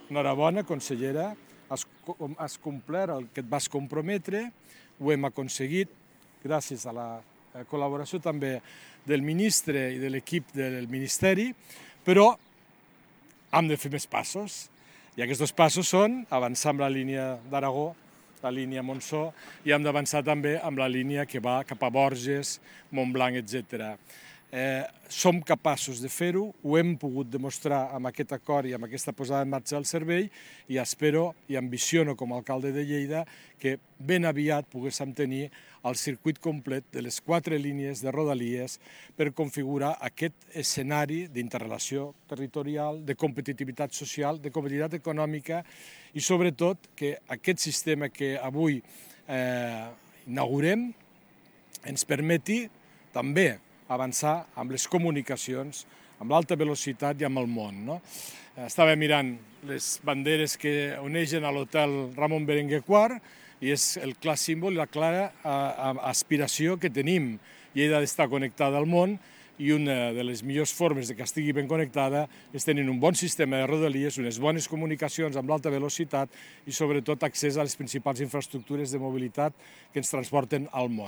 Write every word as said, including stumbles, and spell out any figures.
enhorabona, consellera, has, has complert el que et vas comprometre, ho hem aconseguit gràcies a la col·laboració també del ministre i de l'equip del Ministeri, però hem de fer més passos. I aquests dos passos són avançar amb la línia d'Aragó, la línia Montsó, i hem d'avançar també amb la línia que va cap a Borges, Montblanc, etcètera. Eh, som capaços de fer-ho, ho hem pogut demostrar amb aquest acord i amb aquesta posada en marxa del servei i espero i ambiciono com a alcalde de Lleida que ben aviat poguéssim tenir el circuit complet de les quatre línies de Rodalies per configurar aquest escenari d'interrelació territorial, de competitivitat social, de competitivitat econòmica i sobretot que aquest sistema que avui eh, inaugurem ens permeti també avançar amb les comunicacions, amb l'alta velocitat i amb el món. No? Estava mirant les banderes que onegen a l'hotel Ramon Berenguer quart i és el clar símbol i la clara aspiració que tenim. Lleida ha d'estar connectada al món i una de les millors formes de que estigui ben connectada és tenir un bon sistema de rodalies, unes bones comunicacions amb l'alta velocitat i sobretot accés a les principals infraestructures de mobilitat que ens transporten al món.